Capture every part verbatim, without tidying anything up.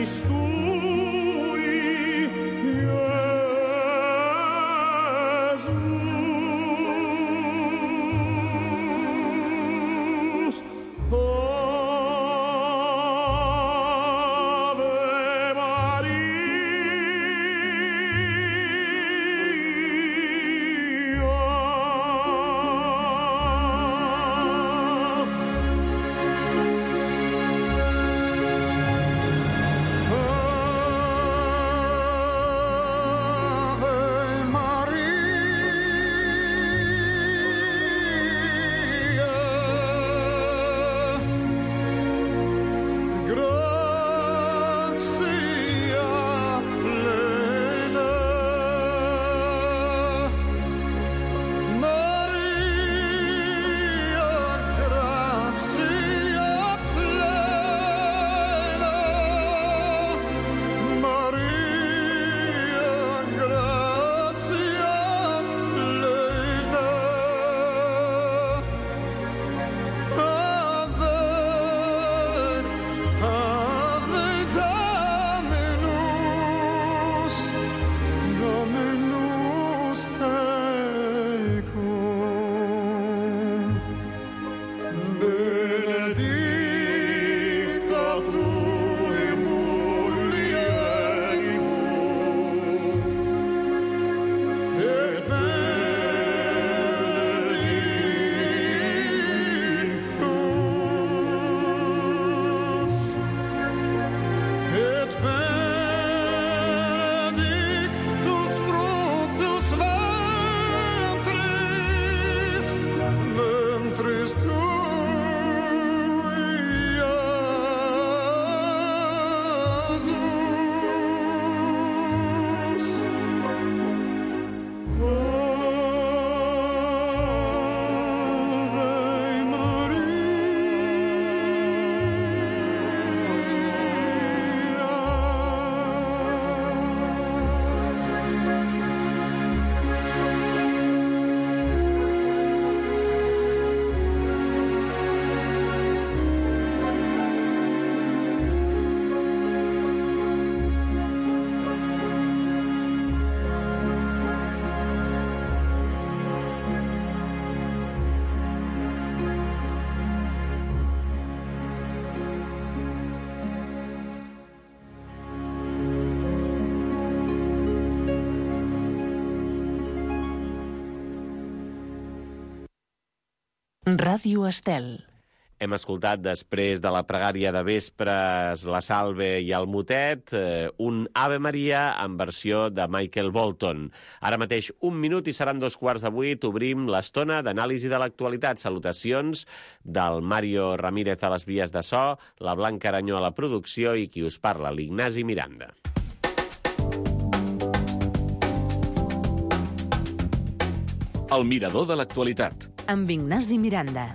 eris tui, Iesus. Ave Ràdio Estel. Hem escoltat, després de la pregària de vespres, la Salve i el motet, eh, un Ave Maria en versió de Michael Bolton. Ara mateix un minut i seran dos quarts de vuit. Obrim l'estona d'anàlisi de l'actualitat. Salutacions del Mario Ramírez a les vies de so, la Blanca Aranyó a la producció i qui us parla, l'Ignasi Miranda. El mirador de l'actualitat. Amb Ignasi Miranda.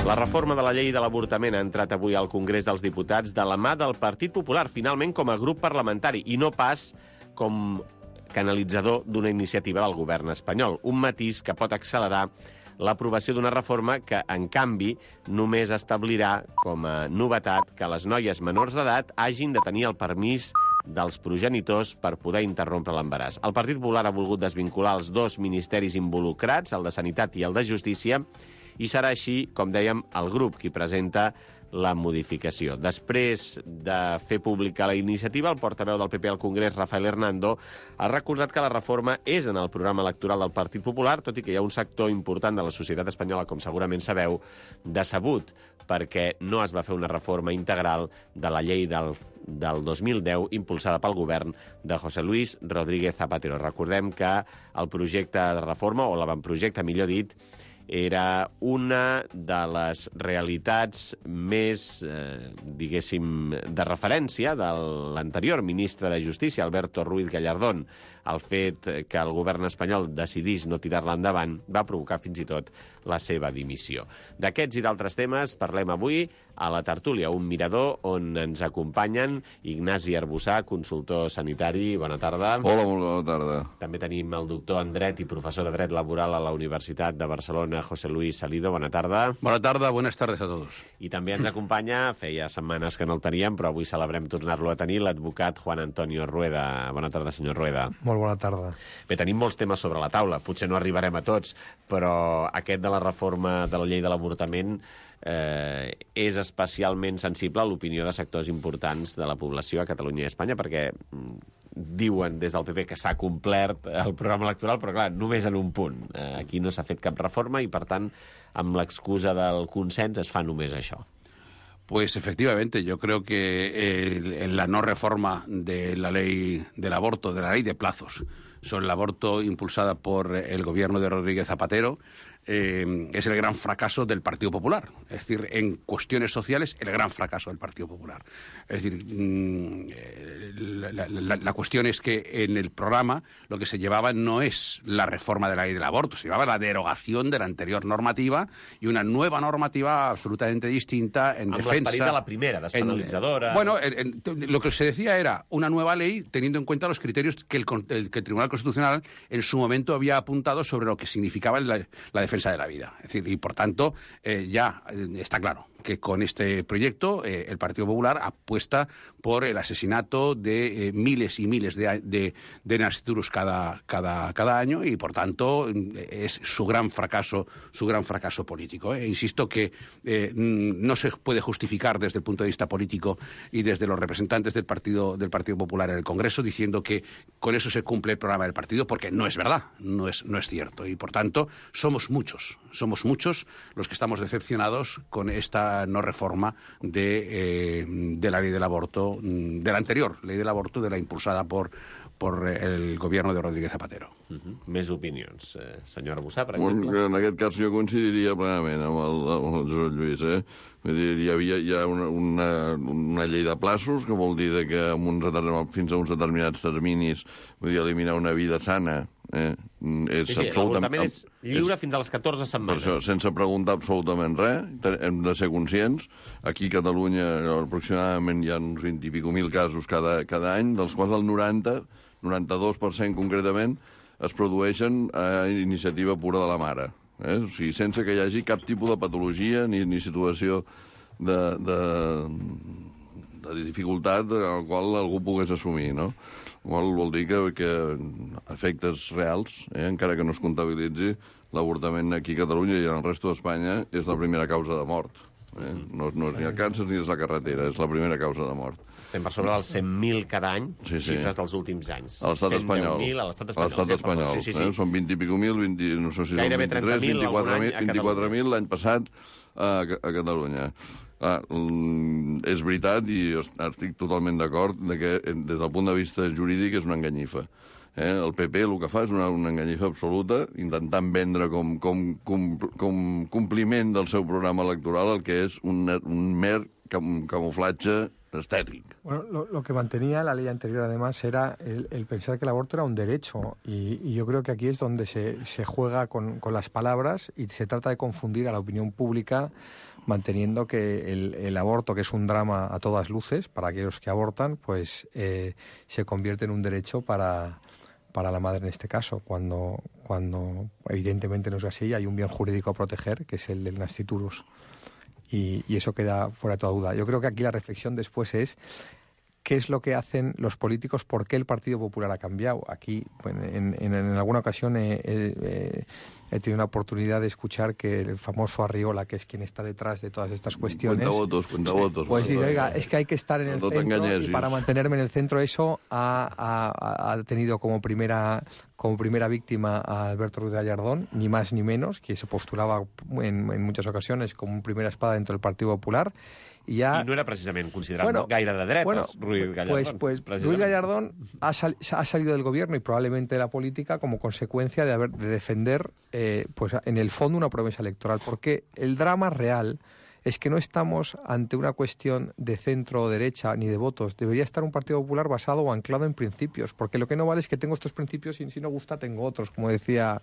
La reforma de la llei de l'avortament ha entrat avui al Congrés dels Diputats de la mà del Partit Popular, finalment com a grup parlamentari, i no pas com canalitzador d'una iniciativa del govern espanyol. Un matís que pot accelerar l'aprovació d'una reforma que, en canvi, només establirà com a novetat que les noies menors d'edat hagin de tenir el permís dels progenitors per poder interrompre l'embaràs. El Partit Popular ha volgut desvincular els dos ministeris involucrats, el de Sanitat i el de Justícia, i serà així, com dèiem, el grup qui presenta la modificació. Després de fer pública la iniciativa, el portaveu del P P al Congrés, Rafael Hernando, ha recordat que la reforma és en el programa electoral del Partit Popular, tot i que hi ha un sector important de la societat espanyola, com segurament sabeu, decebut, perquè no es va fer una reforma integral de la llei del, del dos mil deu impulsada pel govern de José Luis Rodríguez Zapatero. Recordem que el projecte de reforma, o l'avantprojecte, millor dit, era una de les realitats més, eh, diguéssim, de referència de l'anterior ministre de Justícia, Alberto Ruiz Gallardón. El fet que el govern espanyol decidís no tirar-la endavant va provocar fins i tot la seva dimissió. D'aquests i d'altres temes parlem avui a la tertúlia, un mirador on ens acompanyen Ignasi Arbussà, consultor sanitari. Bona tarda. Hola, molt bona tarda. També tenim el doctor en Dret i professor de Dret Laboral a la Universitat de Barcelona, José Luis Salido. Bona tarda. Bona tarda, buenas tardes a todos. I també ens acompanya, feia setmanes que no el teníem, però avui celebrem tornar-lo a tenir, l'advocat Juan Antonio Rueda. Bona tarda, senyor Rueda. Molt bona tarda. Bé, tenim molts temes sobre la taula, potser no arribarem a tots, però aquest de la reforma de la llei de l'avortament eh, és especialment sensible a l'opinió de sectors importants de la població a Catalunya i a Espanya, perquè diuen des del P P que s'ha complert el programa electoral, però clar, només en un punt. Eh, aquí no s'ha fet cap reforma i, per tant, amb l'excusa del consens es fa només això. Pues efectivamente, yo creo que eh, en la no reforma de la ley del aborto, de la ley de plazos sobre el aborto impulsada por el gobierno de Rodríguez Zapatero, eh, es el gran fracaso del Partido Popular. Es decir, en cuestiones sociales, el gran fracaso del Partido Popular. Es decir, mmm, la, la, la cuestión es que en el programa lo que se llevaba no es la reforma de la ley del aborto, se llevaba la derogación de la anterior normativa y una nueva normativa absolutamente distinta en Amb defensa... l'esperit de la primera, despenalitzadora... En, bueno, en, en, lo que se decía era una nueva ley teniendo en cuenta los criterios que el, el, que el Tribunal Constitucional en su momento había apuntado sobre lo que significaba la, la defensa de la vida. Es decir, y por tanto, eh, ya eh, está claro que con este proyecto eh, el Partido Popular apuesta por el asesinato de eh, miles y miles de, de, de nasciturus cada, cada, cada año y, por tanto, es su gran fracaso, su gran fracaso político. Eh. Insisto que eh, no se puede justificar desde el punto de vista político y desde los representantes del Partido, del Partido Popular en el Congreso diciendo que con eso se cumple el programa del partido, porque no es verdad, no es, no es cierto. Y, por tanto, somos muchos, somos muchos los que estamos decepcionados con esta no reforma de, eh, de la ley del aborto, de la anterior ley del aborto, de la impulsada por, por el gobierno de Rodríguez Zapatero. Uh-huh. Més opinions. Eh, senyor Arbussà, per Bueno, exemple? en aquest cas jo coincidiria plenament amb el, amb el Josep Lluís. Eh? Vull dir, hi havia hi ha una, una, una llei de plaços, que vol dir de que amb uns, fins a uns determinats terminis, vull dir, eliminar una vida sana, eh? és sí, sí, absolutament... l'avortament és lliure és, fins a les catorze setmanes. Per això, sense preguntar absolutament res, hem de ser conscients. Aquí a Catalunya aproximadament hi ha uns vint i pico mil casos cada, cada any, dels quals el noranta, noranta-dos per cent concretament, es produeixen a iniciativa pura de la mare. Eh? O sigui, sense que hi hagi cap tipus de patologia ni, ni situació de, de, de dificultat al qual algú pogués assumir, no? Vol, vol dir que, que efectes reals, eh, encara que no es comptabilitzi, l'avortament aquí a Catalunya i en el resto d'Espanya és la primera causa de mort. Eh? No, no és ni el càncer ni és la carretera, és la primera causa de mort. Estem per sobre dels cent mil cada any, sí, sí. xifres dels últims anys. A l'estat espanyol. A l'estat espanyol. A l'estat espanyol. Sí, sí, sí. Eh? Són vint i pico mil, vint, no sé si són vint-i-tres, vint-i-quatre mil l'any passat a, a Catalunya. Ah, és veritat, i estic totalment d'acord, que des del punt de vista jurídic és una enganyifa. Eh? El P P el que fa és una, una enganyifa absoluta, intentant vendre com, com, com, com compliment del seu programa electoral el que és un, un mer cam, camuflatge estético. Bueno, lo, lo que mantenía la ley anterior, además, era el, el pensar que el aborto era un derecho. Y, y yo creo que aquí es donde se, se juega con, con las palabras y se trata de confundir a la opinión pública, manteniendo que el, el aborto, que es un drama a todas luces para aquellos que abortan, pues eh, se convierte en un derecho para, para la madre en este caso, cuando, cuando evidentemente no es así. Hay un bien jurídico a proteger, que es el del nasciturus. Y, y eso queda fuera de toda duda. Yo creo que aquí la reflexión después es qué es lo que hacen los políticos, por qué el Partido Popular ha cambiado. Aquí, bueno, en, en, en alguna ocasión he, he, he tenido una oportunidad de escuchar que el famoso Arriola, que es quien está detrás de todas estas cuestiones... Cuenta votos, cuenta votos. Pues dice, oiga, es que hay que estar en el no centro, y para mantenerme en el centro eso ha, ha, ha tenido como primera... como primera víctima a Alberto Ruiz Gallardón, ni más ni menos, que se postulaba en, en muchas ocasiones como una primera espada dentro del Partido Popular, Y, ya... I no era precisament considerat bueno, gaire de dretes, bueno, Ruiz Gallardón. Pues, pues Ruiz Gallardón ha, sal, ha salido del gobierno y probablemente de la política como consecuencia de, haber, de defender, eh, pues en el fondo, una promesa electoral. Porque el drama real es que no estamos ante una cuestión de centro o derecha ni de votos. Debería estar un Partido Popular basado o anclado en principios, porque lo que no vale es que tengo estos principios y si no gusta tengo otros, como decía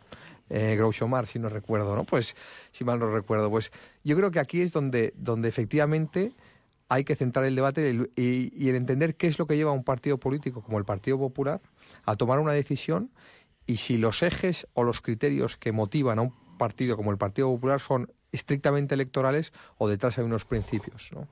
eh, Groucho Marx, si no recuerdo, ¿no? Pues, si mal no recuerdo. Pues yo creo que aquí es donde, donde efectivamente hay que centrar el debate y, y, y el entender qué es lo que lleva a un partido político como el Partido Popular a tomar una decisión y si los ejes o los criterios que motivan a un partido como el Partido Popular son estrictamente electorales o detrás hay unos principios, no?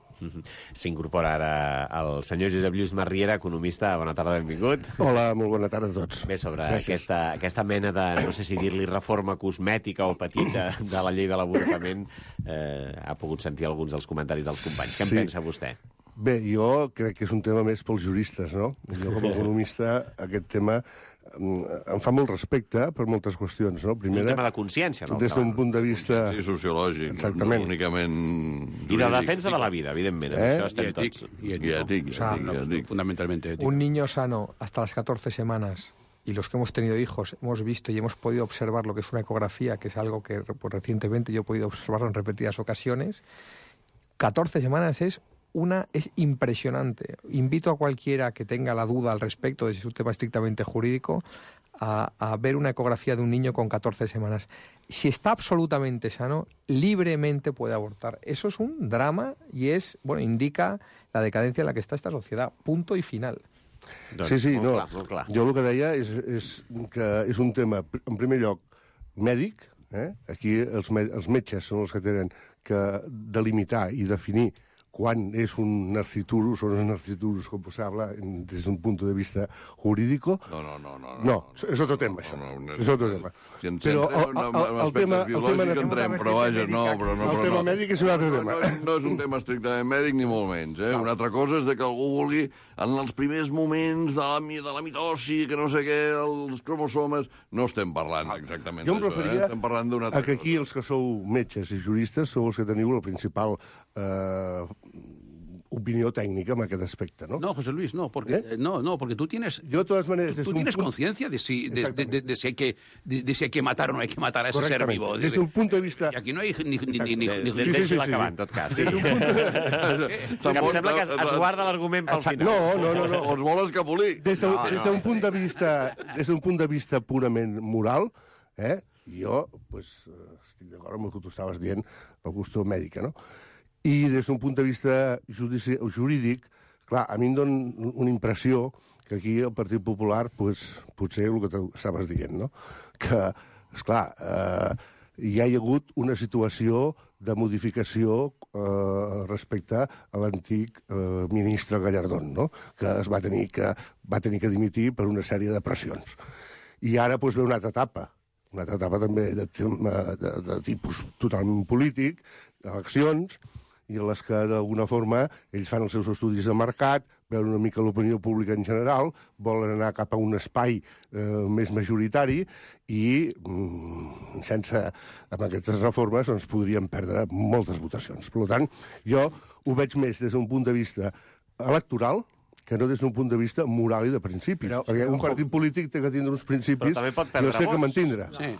S'incorpora ara el senyor Josep Lluís Marriera, economista. Bona tarda, benvingut. Hola, molt bona tarda a tots. Bé, sobre aquesta, aquesta mena de, no sé si dir-li reforma cosmètica o petita de la llei de l'avortament, eh, ha pogut sentir alguns dels comentaris dels companys. Què en Sí. pensa vostè? Bé, jo crec que és un tema més pels juristes, no? Jo, com a economista, aquest tema em fa molt respecte per moltes qüestions, no? Primera, és un tema de consciència, no? des d'un punt de vista... Sí, sociològic, Exactament. no únicament I de defensa de la vida, evidentment. Eh? Això estem Y tots. ético, y I ético. ètic, i O sea, ètic, i ètic. Fundamentalmente ético. Un niño sano hasta las catorce semanas, y los que hemos tenido hijos hemos visto y hemos podido observar lo que es una ecografía, que es algo que pues, recientemente yo he podido observarlo en repetidas ocasiones. catorce semanas es una es impresionante. Invito a cualquiera que tenga la duda al respecto de si es un tema estrictamente jurídico a, a ver una ecografía de un niño con catorce semanas. Si está absolutamente sano, libremente puede abortar. Eso es un drama y es, bueno, indica la decadencia en la que está esta sociedad. Punto y final. Doncs, Sí, sí, molt no. clar, molt clar. Jo el que deia és, és que és un tema, en primer lloc, mèdic. Eh? Aquí els, me els metges són els que tenen que delimitar i definir quan és un narciturus o no és un narciturus, com se habla des d'un punt de vista jurídico. No, no, no. No, No, és otro tema, això. No, no, no, És otro tema. Si ens Però centrem el- en, el- en el tema- aspectes el tema biològics entrem, però vaja, no, però no. El però tema no. mèdic és un altre No, tema. no, és- no és un tema estrictament mèdic ni molt menys. Eh? Una altra cosa és de que algú vulgui, en els primers moments de la, mi- de la mitosi, que no sé què, els cromosomes, no estem parlant exactament Jo em d'això, referia eh? Estem parlant d'una altra a que aquí cosa. els que sou metges i juristes sou els que teniu la principal eh, opinió tècnica en aquest aspecte, ¿no? No, José Luis, no, porque ¿Eh? eh, no, no, porque tú tienes Yo, de todas maneras, tú, desde tú un tienes punto- conciencia de si de, de, de, de si hay que de, de si hay que matar o no hay que matar a ese ser Correctamente. vivo. Desde un punto de vista... Y aquí no hay ni ni ni, ni, De, ni- de, Sí, sí, sí, Deixi-la sí. acabar, en tot cas. Sí. Des d'un punt de... Que em sembla que es, es guarda l'argument pel final. No, no, no, no. O es vol escapolir. Des d'un No, des no. d'un punt de vista, des d'un punt de vista purament moral, eh, jo pues, eh, estic d'acord amb el que tu estaves dient, el qüestió mèdica, no? I des d'un punt de vista judici jurídic, clar, a mi em dona una impressió que aquí el Partit Popular, pues, potser el que tu estaves dient, no? Que, esclar, eh, hi ha hagut una situació de modificació eh, respecte a l'antic eh, ministre Gallardón, no? Que es va tenir que, va tenir que dimitir per una sèrie de pressions. I ara pues, ve una altra etapa, una altra etapa també de, tema- de, de tipus totalment polític, eleccions, i en les que d'alguna forma ells fan els seus estudis de mercat, veuen una mica l'opinió pública en general, volen anar cap a un espai eh, més majoritari i mm, sense, amb aquestes reformes doncs, podríem perdre moltes votacions. Per tant, jo ho veig més des d'un punt de vista electoral que no des d'un punt de vista moral i de principis. Però- perquè un partit polític té que tindre uns principis Però també pot i perdre els té que vots. mantindre. Sí.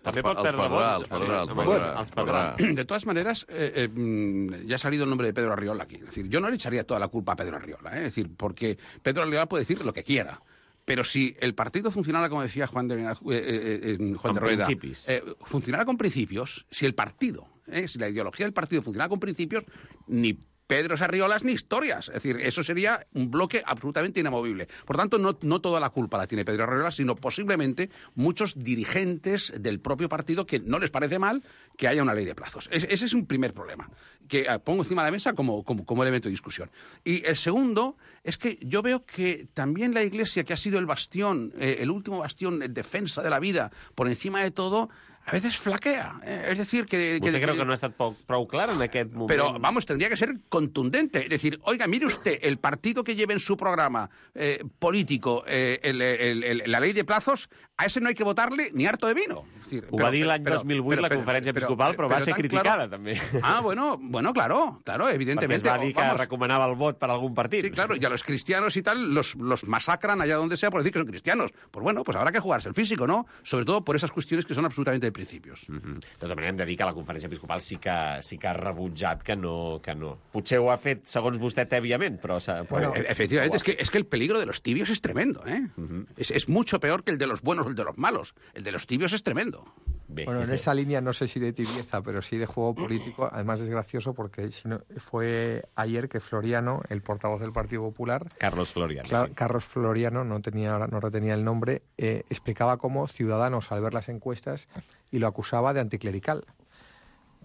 També Els pot pa- els perdre perdrà, vots. els perdrà, els Home, perdrà, els perdrà. De todas maneras, eh, eh, mm, ya ha salido el nombre de Pedro Arriola aquí. Es decir, yo no le echaría toda la culpa a Pedro Arriola, ¿eh? Es decir, porque Pedro Arriola puede decir lo que quiera. Pero si el partido funcionara, como decía Juan de, eh, eh, eh, Juan Con de Rueda, principios. eh, funcionara con principios, si el partido, eh, si la ideología del partido funcionara con principios, ni Pedro Arriolas ni historias. Es decir, eso sería un bloque absolutamente inamovible. Por tanto, no, no toda la culpa la tiene Pedro Arriola, sino posiblemente muchos dirigentes del propio partido que no les parece mal que haya una ley de plazos. Es, ese es un primer problema que eh, pongo encima de la mesa como, como, como elemento de discusión. Y el segundo es que yo veo que también la Iglesia, que ha sido el bastión, eh, el último bastión en defensa de la vida, por encima de todo, a veces flaquea. Eh, es decir, que... Vostè que, creu que no ha estat prou, prou clar en aquest moment? Pero, vamos, tendría que ser contundente. Es decir, oiga, mire usted, el partido que lleve en su programa eh, político eh, el, el, el, la ley de plazos, a ese no hay que votarle ni harto de vino. Es decir, Ho va dir l'any dos mil vuit la Conferència Episcopal, però va ser criticada, també. Ah, bueno, bueno, claro, claro, evidentemente. Perquè es va dir que recomanava el vot per algún partit. Sí, claro, y a los cristianos y tal los, los masacran allá donde sea por decir que son cristianos. Pues bueno, pues habrá que jugarse el físico, ¿no? Sobre todo por esas cuestiones que son absolutamente de principios. Mm-hmm. De tota manera, hem de dir que la Conferència Episcopal sí que, sí que ha rebutjat que no, que no. Potser ho ha fet, segons vostè, tèbiament, però... Bueno, però... efectivamente, es que, es que el peligro de los tibios es tremendo, ¿eh? Uh-huh. Es, es mucho peor que el de los buenos o el de los malos. El de los tibios es tremendo. Bé. Bueno, en esa línea no sé si de tibieza, pero sí de juego político. Además es gracioso porque si no, fue ayer que Floriano, el portavoz del Partido Popular... Carlos Floriano. Claro, sí. Carlos Floriano, no, tenía, no retenía el nombre, eh, explicaba cómo Ciudadanos, al ver las encuestas, y lo acusaba de anticlerical,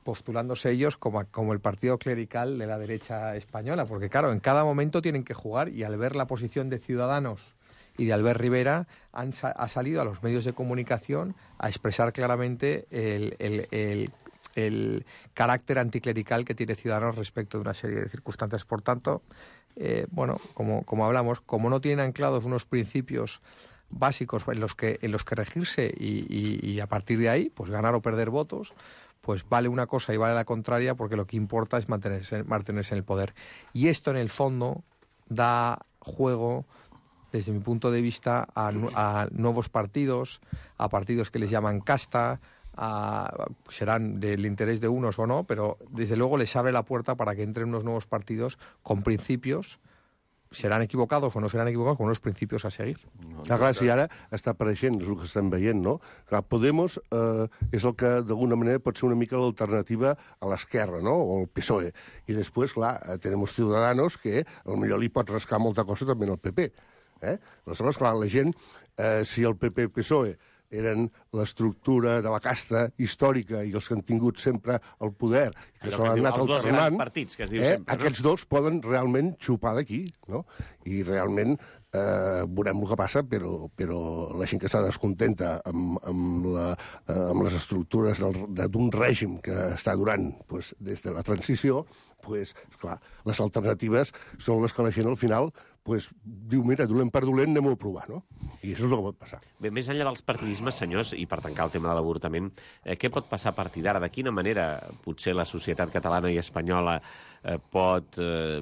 postulándose ellos como, como el partido clerical de la derecha española, porque claro, en cada momento tienen que jugar, y al ver la posición de Ciudadanos y de Albert Rivera, han, ha salido a los medios de comunicación a expresar claramente el, el, el, el carácter anticlerical que tiene Ciudadanos respecto de una serie de circunstancias. Por tanto, eh, bueno, como, como hablamos, como no tienen anclados unos principios básicos en los que, en los que regirse y, y, y a partir de ahí, pues ganar o perder votos, pues vale una cosa y vale la contraria, porque lo que importa es mantenerse, mantenerse en el poder. Y esto, en el fondo, da juego, desde mi punto de vista, a, a nuevos partidos, a partidos que les llaman casta, a, serán del interés de unos o no, pero desde luego les abre la puerta para que entren unos nuevos partidos con principios, seran equivocados o no seran equivocados, con unos principios a seguir. Ah, clar, si ara està apareixent, és el que estem veient, no? Clar, Podemos eh, és el que, d'alguna manera, pot ser una mica l'alternativa a l'esquerra, no? O el P S O E. I després, clar, tenemos Ciudadanos, que potser li pot rascar molta cosa també al P P. Eh? Aleshores, clar, la gent, eh, si el P P-P S O E eren l'estructura de la casta històrica i els que han tingut sempre el poder, que s'han anat alternant, partits, que es diu eh, sempre, no? Aquests dos poden realment xupar d'aquí, no? I realment eh, veurem el que passa, però, però la gent que està descontenta amb, amb, la, eh, amb les estructures d'un règim que està durant pues, des de la transició, pues, esclar, les alternatives són les que la gent al final pues, diu, mira, dolent per dolent, anem-ho a provar, no? I això és el que pot passar. Bé, més enllà dels partidismes, senyors, i per tancar el tema de l'avortament, eh, què pot passar a partir d'ara? De quina manera potser la societat catalana i espanyola eh, pot eh,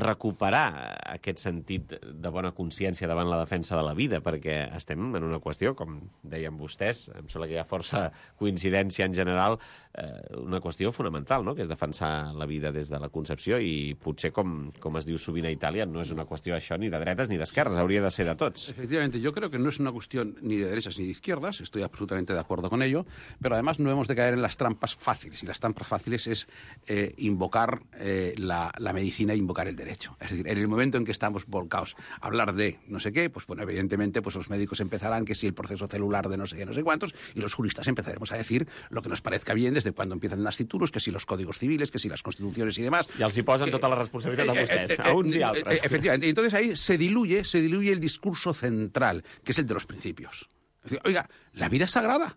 recuperar aquest sentit de bona consciència davant la defensa de la vida? Perquè estem en una qüestió, com deien vostès, em sembla que hi ha força coincidència en general, eh, una qüestió fonamental, no?, que és defensar la vida des de la concepció, i potser, com, com es diu sovint a Itàlia, no és una qüestió això ni de dretes ni d'esquerres, hauria de ser de tots. Efectivamente, yo creo que no es una cuestión ni de derechas ni de izquierdas, estoy absolutamente de acuerdo con ello, pero además no hemos de caer en las trampas fáciles, y las trampas fáciles es eh, invocar eh, la, la medicina e invocar el derecho. Es decir, en el momento en que estamos volcados a hablar de no sé qué, pues bueno, evidentemente pues los médicos empezarán que si el proceso celular de no sé qué, no sé cuántos, y los juristas empezaremos a decir lo que nos parezca bien desde cuando empiezan las títulos, que si los códigos civiles, que si las constituciones y demás. I els hi posen tota la responsabilitat a vostès, a uns i altres. Efectivamente, y entonces ahí se diluye, se diluye el discurso central, que es el de los principios. Es decir, oiga, la vida es sagrada.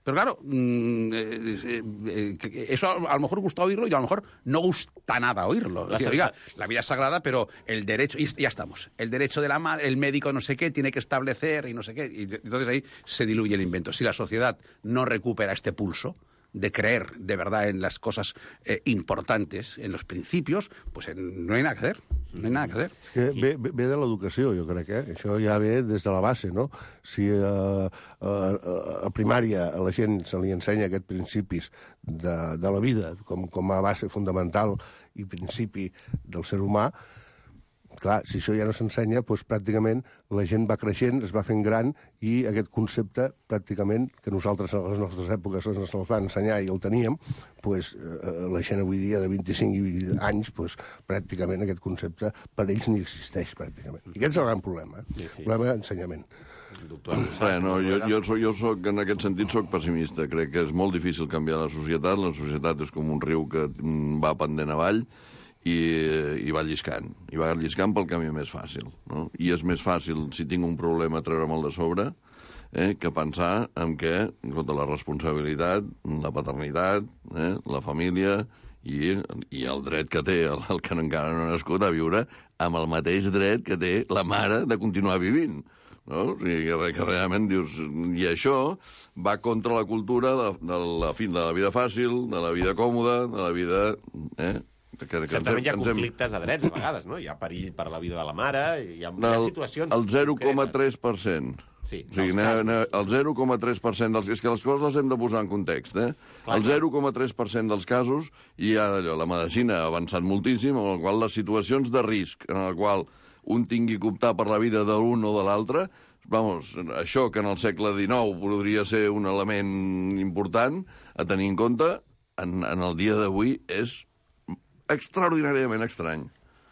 Pero claro, mmm, eh, eh, eso a lo mejor gusta oírlo y a lo mejor no gusta nada oírlo. Es decir, oiga, la vida es sagrada, pero el derecho, y ya estamos, el derecho de la madre, el médico no sé qué, tiene que establecer y no sé qué. Y entonces ahí se diluye el invento. Si la sociedad no recupera este pulso de creer de verdad en las cosas eh, importantes, en los principios, pues eh, no hay nada que hacer. No hay nada que hacer. Que ve, ve de l'educació, jo crec, eh? Això ja ve des de la base, no? Si eh, a, a primària a la gent se li ensenya aquests principis de, de la vida com, com a base fundamental i principi del ser humà, clar, si això ja no s'ensenya, doncs pràcticament la gent va creixent, es va fent gran, i aquest concepte, pràcticament, que nosaltres a les nostres èpoques ens el van ensenyar i el teníem, doncs la gent avui dia de vint-i-cinc anys, doncs pràcticament aquest concepte per ells ni existeix, pràcticament. I aquest és el gran problema, eh? Sí, sí. El problema d'ensenyament. Doctor, Res, no, jo, jo, soc, jo soc, en aquest sentit, soc pessimista. Crec que és molt difícil canviar la societat. La societat és com un riu que va pendent avall, i, i va lliscant. I va lliscant pel camí més fàcil. No? I és més fàcil, si tinc un problema, treure'm el de sobre, eh, que pensar en què, escolta, la responsabilitat, la paternitat, eh, la família i, i el dret que té el, el que encara no ha nascut a viure amb el mateix dret que té la mare de continuar vivint. no? O sigui, que, que realment dius... I això va contra la cultura de, de, la, fi- de la vida fàcil, de la vida còmoda, de la vida... Eh? Que, que Certament hi ha ens hem- conflictes de drets, a vegades, no? Hi ha perill per la vida de la mare, hi ha, hi ha El, situacions... el zero coma concretes. tres per cent. Sí, O sigui, dels ne, casos. ne, el zero coma tres per cent dels... És que les coses les hem de posar en context, eh? Clar, el zero coma tres per cent dels casos hi ha allò, la medicina ha avançat moltíssim, en el qual les situacions de risc, en el qual un tingui que optar per la vida de l'un o de l'altre, vamos, això que en el segle dinou podria ser un element important a tenir en compte, en, en el dia d'avui és extraordinàriament estrany.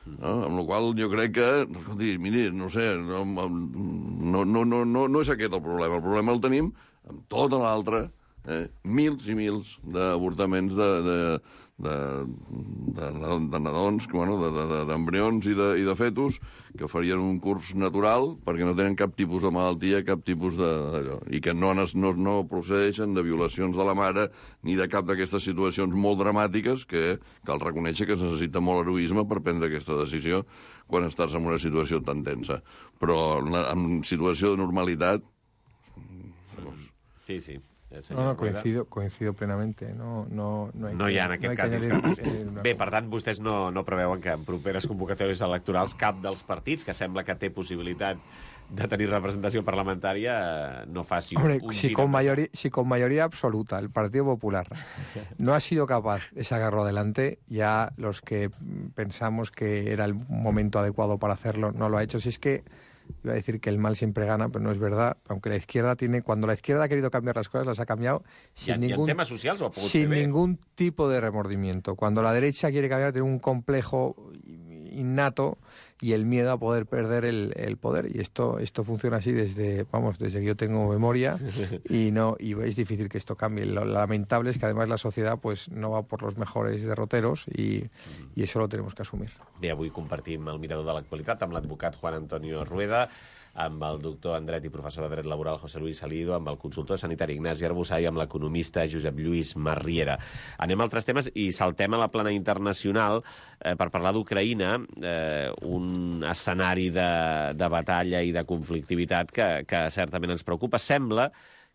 No? Amb la qual jo crec que, escolti, miri, no sé, no, no, no, no, no, no és aquest el problema. El problema el tenim amb tota l'altra, eh, mils i mils d'avortaments de, de, de, de, de nadons, bueno, d'embrions i, de, i de fetus que farien un curs natural perquè no tenen cap tipus de malaltia, cap tipus de... d'allò, i que no, no, no procedeixen de violacions de la mare ni de cap d'aquestes situacions molt dramàtiques que cal reconèixer que es necessita molt heroisme per prendre aquesta decisió quan estàs en una situació tan tensa. Però en, la, en situació de normalitat... Sí, sí. No, no, coincido, coincido plenamente. No, no, no, hay No hi ha, en que, aquest no cas, hay que discrepància. añadir, eh, una Bé, cosa. per tant, vostès no, no preveuen que en properes convocatòries electorals cap dels partits que sembla que té possibilitat de tenir representació parlamentària eh, no faci Hombre, un si gir con, endavant. mayoría, si con mayoría absoluta el Partido Popular no ha sido capaz de sacarlo adelante, ya los que pensamos que era el momento adecuado para hacerlo no lo ha hecho. Si es que iba a decir que el mal siempre gana, pero no es verdad, aunque la izquierda tiene, cuando la izquierda ha querido cambiar las cosas, las ha cambiado sin, I en, i en ningún, temes socials ho ha pogut sin fer bé. ningún tipo de remordimiento. Cuando la derecha quiere cambiar, tiene un complejo innato y el miedo a poder perder el, el poder. Y esto esto funciona así desde, vamos, desde que yo tengo memoria y no y es difícil que esto cambie. Lo lamentable es que además la sociedad pues no va por los mejores derroteros y, y eso lo tenemos que asumir. Bé, avui compartim el mirador de l'actualitat amb l'advocat Juan Antonio Rueda, amb el doctor en dret i professor de dret laboral José Luis Salido, amb el consultor sanitari Ignasi Arbusà i amb l'economista Josep Lluís Marriera. Anem a altres temes i saltem a la plana internacional eh, per parlar d'Ucraïna, eh, un escenari de, de batalla i de conflictivitat que, que certament ens preocupa. Sembla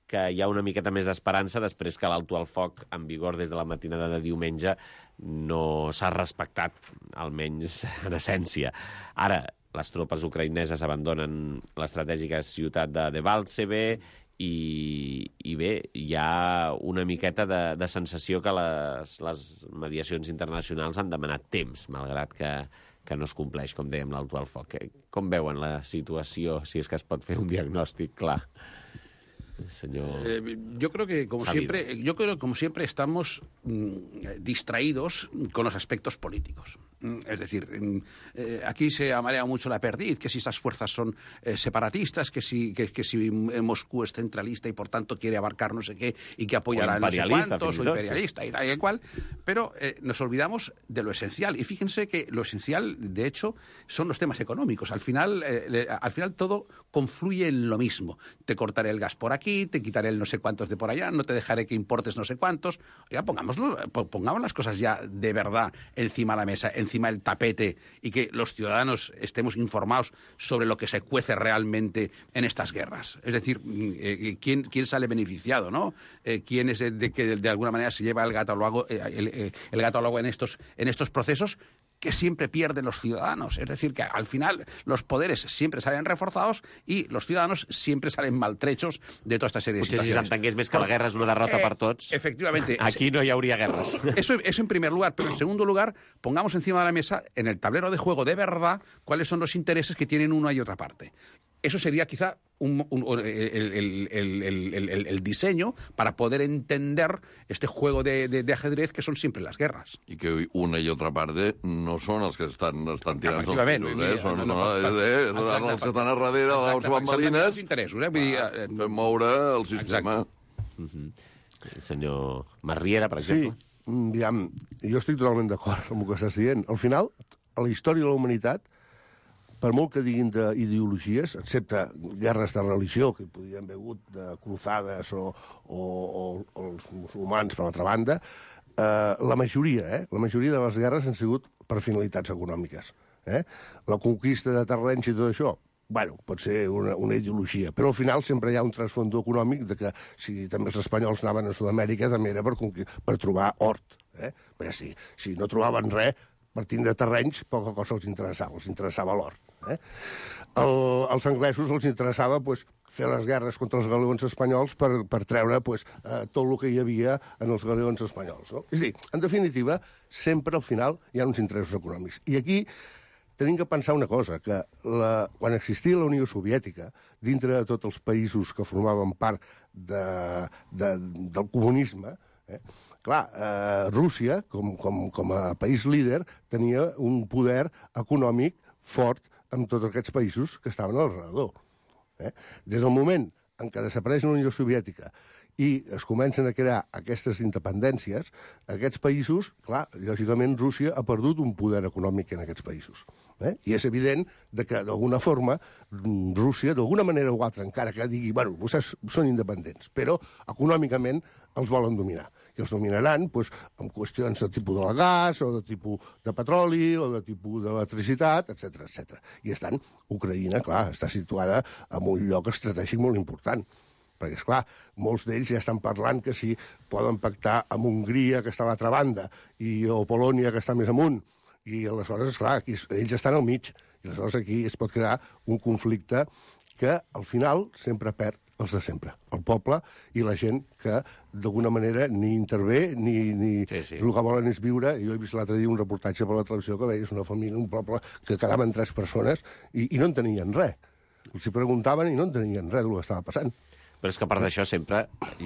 que hi ha una miqueta més d'esperança després que l'alto al foc en vigor des de la matinada de diumenge no s'ha respectat, almenys en essència. Ara, les tropes ucraïneses abandonen l'estratègica ciutat de Debaltseve i, i bé, hi ha una miqueta de, de sensació que les, les mediacions internacionals han demanat temps, malgrat que, que no es compleix, com dèiem, l'alto al foc. Com veuen la situació, si és que es pot fer un diagnòstic clar? Señor... Eh, yo creo que como Salido. siempre, yo creo que como siempre estamos mm, distraídos con los aspectos políticos. Mm, es decir, mm, eh, aquí se amarea mucho la perdiz, que si estas fuerzas son eh, separatistas, que si, que, que si Moscú es centralista y por tanto quiere abarcar no sé qué y que apoyará O a no sé imperialista, cuántos, fins o i tot, imperialista y tal y cual, pero eh, nos olvidamos de lo esencial. Y fíjense que lo esencial, de hecho, son los temas económicos. Al final, eh, le- al final todo confluye en lo mismo. Te cortaré el gas por aquí, te quitaré el no sé cuántos de por allá, no te dejaré que importes no sé cuántos. Oiga, pongámoslo, po- pongamos las cosas ya de verdad encima de la mesa, encima del tapete, y que los ciudadanos estemos informados sobre lo que se cuece realmente en estas guerras. Es decir, mm, eh, ¿quién, quién sale beneficiado, ¿no? Eh, ¿Quién es el de que de alguna manera se lleva el gato al agua, eh, el, eh, el gato al agua en estos, en estos procesos? Que siempre pierden los ciudadanos. Es decir, que al final los poderes siempre salen reforzados y los ciudadanos siempre salen maltrechos de toda esta serie de Potser si situaciones. s'entengués més que la guerra és una derrota Eh, per tots, efectivamente. aquí no hi hauria guerres. Eso, eso en primer lugar. Pero en segundo lugar, pongamos encima de la mesa, en el tablero de juego de verdad, cuáles son los intereses que tienen una y otra parte. Eso sería quizá un- un- el, el- el- el- el- el- el diseño para poder entender este juego de, de- de ajedrez que son siempre las guerras. I que una i altra part de no són els que estan, estan tirant els Efectivament, tiros, mira, eh? Són, no, no, no, no, per- eh, eh, exacte, els que estan a darrere de les exacte, bambalines els interessos, eh? Vull dir, eh, fent moure el sistema. El senyor Marriera, per Sí, exemple. mm, aviam, jo estic totalment d'acord amb el que estàs dient. Al final, a la història de la humanitat, per molt que diguin d'ideologies, excepte guerres de religió, que podrien haver hagut de cruzades o, o, o, o els musulmans, per l'altra banda, eh, la majoria, eh, la majoria de les guerres han sigut per finalitats econòmiques. Eh? La conquista de terrenys i tot això, bueno, pot ser una, una ideologia, però al final sempre hi ha un trasfondo econòmic de que si també els espanyols anaven a Sud-amèrica també era per, per trobar hort. Eh? Perquè si, si no trobaven res, per tindre terrenys, poca cosa els interessava, els interessava l'hort. Eh? El, els anglesos els interessava pues, fer les guerres contra els galeons espanyols per, per treure pues, eh, tot el que hi havia en els galeons espanyols. No? És a dir, en definitiva, sempre al final hi ha uns interessos econòmics. I aquí tenim que pensar una cosa, que la, quan existia la Unió Soviètica, dintre de tots els països que formaven part de, de, del comunisme, eh, clar, eh, Rússia, com, com, com a país líder, tenia un poder econòmic fort amb tots aquests països que estaven al redador. Eh? Des del moment en què desapareix la Unió Soviètica i es comencen a crear aquestes independències, aquests països, clar, lògicament Rússia ha perdut un poder econòmic en aquests països. Eh? I és evident de que, d'alguna forma, Rússia, d'alguna manera o altra, encara que digui, bueno, vostès són independents, però econòmicament els volen dominar. I els dominaran doncs, amb qüestions de tipus del gas, o de tipus de petroli, o de tipus d'electricitat, etcètera, etcètera. I estan, Ucraïna, clar, està situada en un lloc estratègic molt important. Perquè, esclar, molts d'ells ja estan parlant que si poden pactar amb Hongria, que està a l'altra banda, i, o Polònia, que està més amunt. I aleshores, esclar, aquí, ells estan al mig. I aleshores aquí es pot crear un conflicte que, al final, sempre perd els de sempre. El poble i la gent que, d'alguna manera, ni intervé, ni, ni sí, sí. el que volen és viure. Jo he vist l'altre dia un reportatge per la televisió que veies una família, un poble, que quedaven tres persones i, i no en tenien res. Els hi preguntaven i no en tenien res del que estava passant. Però és que a part d'això sempre,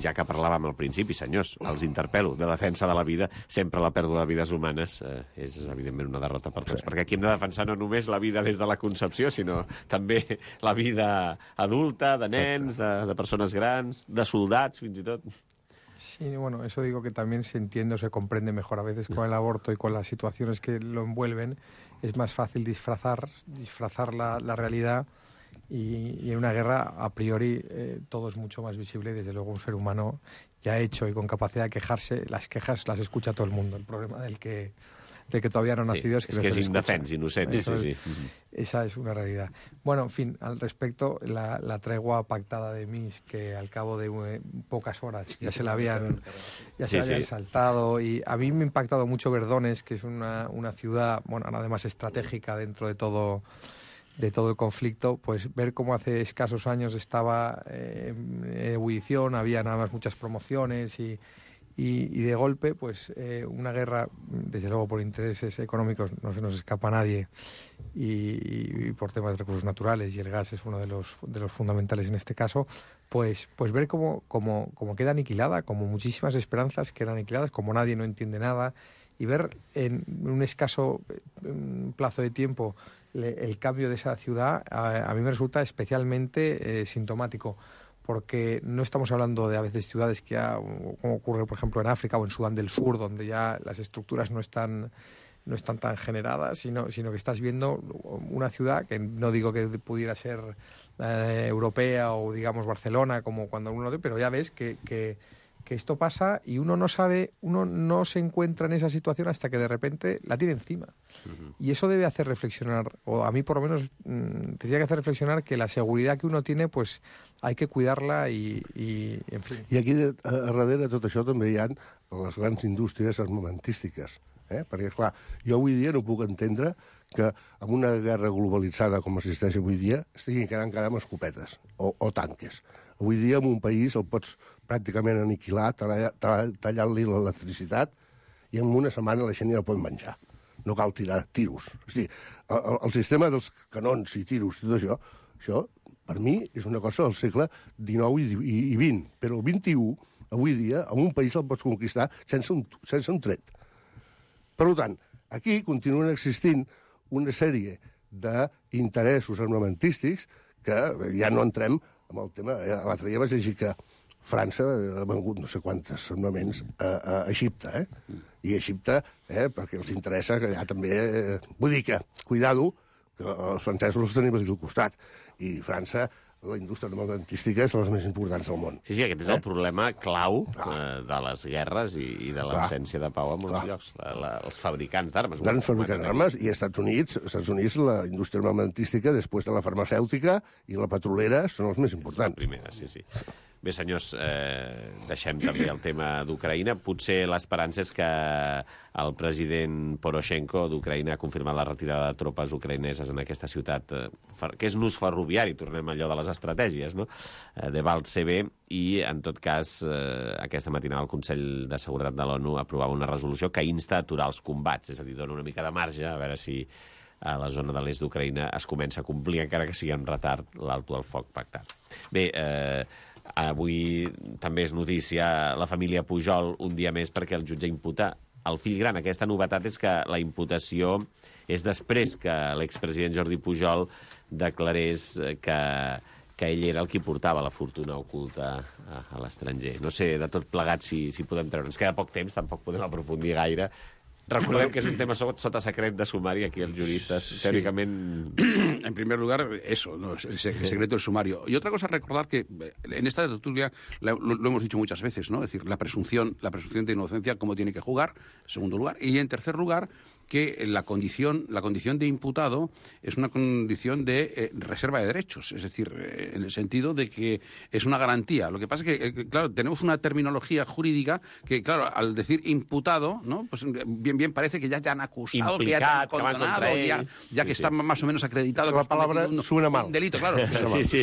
ja que parlàvem al principi, senyors, els interpel·lo, de defensa de la vida, sempre la pèrdua de vides humanes eh, és evidentment una derrota per tots, sí. Perquè aquí hem de defensar no només la vida des de la concepció, sinó també la vida adulta, de nens, de, de persones grans, de soldats, fins i tot. Sí, bueno, eso digo que también se entiende o se comprende mejor a veces con el aborto y con las situaciones que lo envuelven. Es más fácil disfrazar, disfrazar la, la realidad. Y, y en una guerra, a priori, eh, todo es mucho más visible y, desde luego, un ser humano ya hecho y con capacidad de quejarse, las quejas las escucha todo el mundo. El problema del que, del que todavía no ha nacido sí, es que es no que se es indefenso, inocente. Sí, sí. Esa es una realidad. Bueno, en fin, al respecto, la, la tregua pactada de Minsk, que al cabo de eh, pocas horas ya se la habían, ya se sí, la habían sí. saltado, y a mí me ha impactado mucho Verdones, que es una, una ciudad, bueno, además estratégica dentro de todo... de todo el conflicto, pues ver cómo hace escasos años estaba eh, en ebullición, había nada más muchas promociones y, y, y de golpe, pues eh, una guerra, desde luego por intereses económicos no se nos escapa a nadie y, y por temas de recursos naturales, y el gas es uno de los, de los fundamentales en este caso, pues, pues ver cómo, cómo, cómo queda aniquilada, como muchísimas esperanzas quedan aniquiladas, como nadie no entiende nada, y ver en un escaso plazo de tiempo el cambio de esa ciudad, a, a mí me resulta especialmente eh, sintomático, porque no estamos hablando de a veces ciudades que ya, como ocurre por ejemplo en África o en Sudán del Sur, donde ya las estructuras no están no están tan generadas, sino, sino que estás viendo una ciudad que no digo que pudiera ser eh, europea o digamos Barcelona, como cuando uno lo ve, pero ya ves que, que que esto pasa y uno no sabe, uno no se encuentra en esa situación hasta que de repente la tiene encima. Uh-huh. Y eso debe hacer reflexionar, o a mí por lo menos mmm, tendría que hacer reflexionar que la seguridad que uno tiene, pues hay que cuidarla y, y en fin. I aquí a, a darrere de tot això també hi ha les grans indústries armamentístiques. Eh? Perquè, clar, jo avui dia no puc entendre que amb una guerra globalitzada com existeix avui dia estiguin quedant encara amb escopetes o, o tanques. Avui dia en un país el pots pràcticament aniquilar, tallant-li l'electricitat, i en una setmana la gent ja no pot menjar. No cal tirar tiros. És dir, el, el sistema dels canons i tiros i tot això, això, per mi, és una cosa del segle dinou i, i, i vint. Però el vint-i-u, avui dia, en un país el pots conquistar sense un, sense un tret. Per tant, aquí continuen existint una sèrie d'interessos armamentístics que ja no entrem amb el tema. L'altre dia vaig llegir que França ha vengut no sé quantes armaments a, a Egipte, eh? I Egipte, eh, perquè els interessa que ja també... Eh, vull dir que, cuidado, que els francesos els tenim aquí al costat, i França la indústria armamentística és de les més importants del món. Sí, sí, aquest és Eh? el problema clau eh, de les guerres i, i de l'absència de pau en molts Clar. llocs. La, la, els fabricants d'armes. Grans fabricants d'armes, i als Estats Units, als Estats Units la indústria armamentística, després de la farmacèutica i la petrolera, són els més La importants. primera, sí, sí. Bé, senyors, eh, deixem també el tema d'Ucraïna. Potser l'esperança és que el president Poroshenko d'Ucraïna ha confirmat la retirada de tropes ucraïneses en aquesta ciutat, eh, que és nus ferroviari, tornem a allò de les estratègies, no? Eh, de Baltcebe, i, en tot cas, eh, aquesta matinada el Consell de Seguretat de l'ONU aprovava una resolució que insta a aturar els combats, és a dir, dona una mica de marge, a veure si a la zona de l'est d'Ucraïna es comença a complir, encara que sigui en retard, l'alto al foc pactat. Bé, eh, avui també és notícia la família Pujol un dia més perquè el jutge imputa el fill gran. Aquesta novetat és que la imputació és després que l'expresident Jordi Pujol declarés que, que ell era el qui portava la fortuna oculta a, a l'estranger. No sé, de tot plegat, si, si podem treure. Ens queda poc temps, tampoc podem aprofundir gaire. Recordem que és un tema sota secret de sumari, aquí els juristes, sí. Teóricament... En primer lugar, eso, ¿no? el, el secreto del sumario. Y otra cosa, recordar que en esta tertulia lo, lo hemos dicho muchas veces, ¿no? Es decir, la presunción, la presunción de inocencia, cómo tiene que jugar, en segundo lugar. Y en tercer lugar, que la condición, la condición de imputado es una condición de eh, reserva de derechos, es decir, eh, en el sentido de que es una garantía. Lo que pasa es que, eh, claro, tenemos una terminología jurídica que, claro, al decir imputado, ¿no? Pues bien, bien parece que ya te han acusado, Implicat, que ya te han que van condenado, contra ya, ell. ya que Sí, está sí. más o menos acreditado. La que has palabra cometido un- suena mal. Un delito, claro. Sí, sí,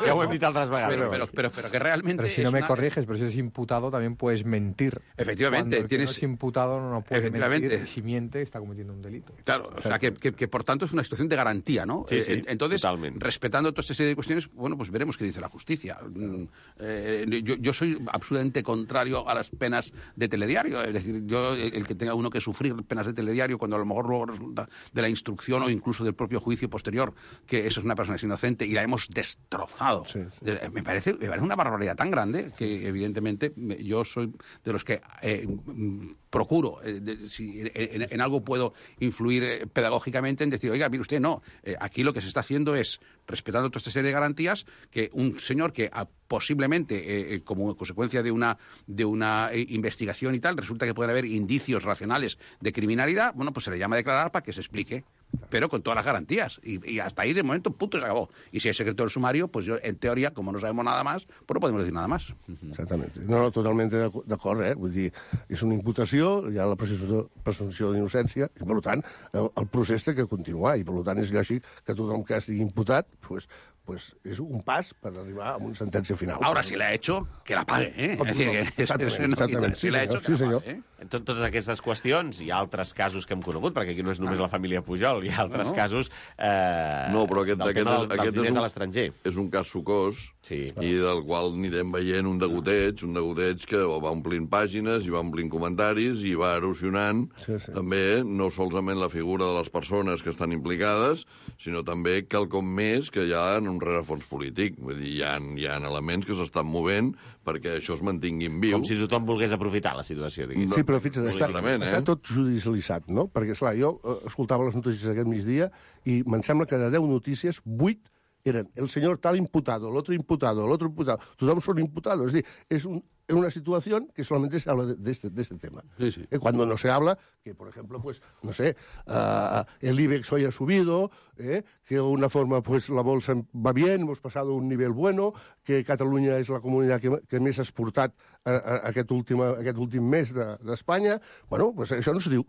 ja ho hem dit altres vegades. Pero, pero, pero, pero que realmente Pero si es no me una- corriges, pero si eres imputado también puedes mentir. Efectivamente, Cuando el que tienes- no es imputado no puede Efectivamente. mentir. Si miente, está cometiendo un delito. Claro, o sea, que, que, que por tanto es una situación de garantía, ¿no? Sí, sí, Eh, Entonces, totalmente. respetando toda esta serie de cuestiones, bueno, pues veremos qué dice la justicia. Mm, eh, yo, yo soy absolutamente contrario a las penas de telediario, es decir, yo el, el que tenga uno que sufrir penas de telediario cuando a lo mejor luego resulta de la instrucción o incluso del propio juicio posterior que esa es una persona que es inocente y la hemos destrozado. Sí, sí. Eh, Me parece, me parece una barbaridad tan grande que evidentemente me- yo soy de los que eh, mm, procuro, eh, de- si en, en- en algo puedo influir eh, pedagógicamente en decir, oiga, mire usted, no, eh, aquí lo que se está haciendo es, respetando toda esta serie de garantías, que un señor que ah, posiblemente, eh, eh, como consecuencia de una, de una eh, investigación y tal, resulta que pueden haber indicios racionales de criminalidad, bueno, pues se le llama a declarar para que se explique. Pero con todas las garantías. Y, y hasta ahí, de momento, punto, se acabó. Y si hay secreto del sumario, pues yo, en teoría, como no sabemos nada más, pues no podemos decir nada más. Exactament. No, no, totalment d'ac- d'acord, eh? Vull dir, és una imputació, hi ha la presumpció presumpció d'innocència, i per tant, el, el procés té que continuar, i per tant és lògic que tothom que estigui imputat, pues, pues és un pas per arribar a una sentència final. Ahora, si la ha hecho, que la pague, ¿eh? Es decir, que eso- Exactament, eso no quita. exactament. Si Sí, la ha senyor, hecho, que sí, la senyor. pague, ¿eh? Tot, totes aquestes qüestions i altres casos que hem conegut, perquè aquí no és només la família Pujol, hi ha altres No. casos eh, No, però aquest, del aquest, tema del, dels aquest diners és, a un, l'estranger. és un cas sucós Sí. i del qual anirem veient un degoteig, un degoteig que va omplint pàgines i va omplint comentaris i va erosionant Sí, sí. també no solament la figura de les persones que estan implicades, sinó també quelcom més que hi ha en un rerefons polític. Vull dir, hi ha, hi ha elements que s'estan movent perquè això es mantinguin viu. Com si tothom volgués aprofitar la situació, diguéssim. Sí, però fixa't, està, Clarament, eh? està tot judicialitzat, no? Perquè, esclar, jo eh, escoltava les notícies aquest migdia i me'n sembla que de deu notícies, vuit eren el senyor tal imputado, el otro imputado, el otro imputado. Tothom són imputados. Es decir, es un, es una situación que solamente se habla de, de, este, de este tema. Sí, sí. Eh, cuando no se habla, que por ejemplo, pues, no sé, uh, el IBEX hoy ha subido, eh, que de alguna forma pues la bolsa va bien, hemos pasado a un nivel bueno, que Catalunya és la comunitat que, que més ha exportat a, a, a aquest, últim, aquest últim mes d'Espanya. De, bueno, pues això no es diu.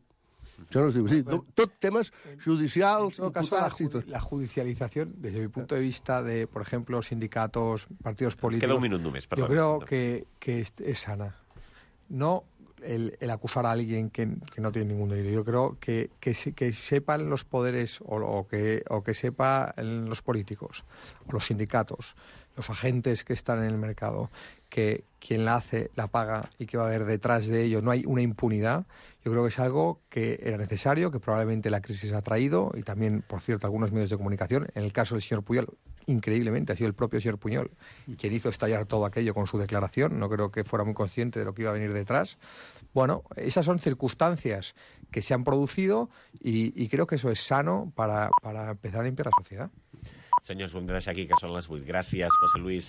Això no es diu. Sí, tot, tot temes judicials, En todo caso, la, imputats i ju- tot. la judicialización, desde mi punto de vista de, por ejemplo, sindicatos, partidos Ens políticos, queda un minut només, perdó. yo creo que, que es, es sana. No el, el acusar a alguien que, que no tiene ningún delito. Yo creo que, que, se- que sepan los poderes o, o que, o que sepan los políticos, o los sindicatos, los agentes que están en el mercado, que quien la hace la paga y que va a haber detrás de ello no hay una impunidad. Yo creo que es algo que era necesario, que probablemente la crisis ha traído, y también, por cierto, algunos medios de comunicación. En el caso del señor Pujol, increíblemente, ha sido el propio señor Pujol quien hizo estallar todo aquello con su declaración. No creo que fuera muy consciente de lo que iba a venir detrás. Bueno, esas son circunstancias que se han producido y, y creo que eso es sano para, para empezar a limpiar la sociedad. Senyors, ho hem de deixar aquí, que són les vuit. Gràcies, José Luis.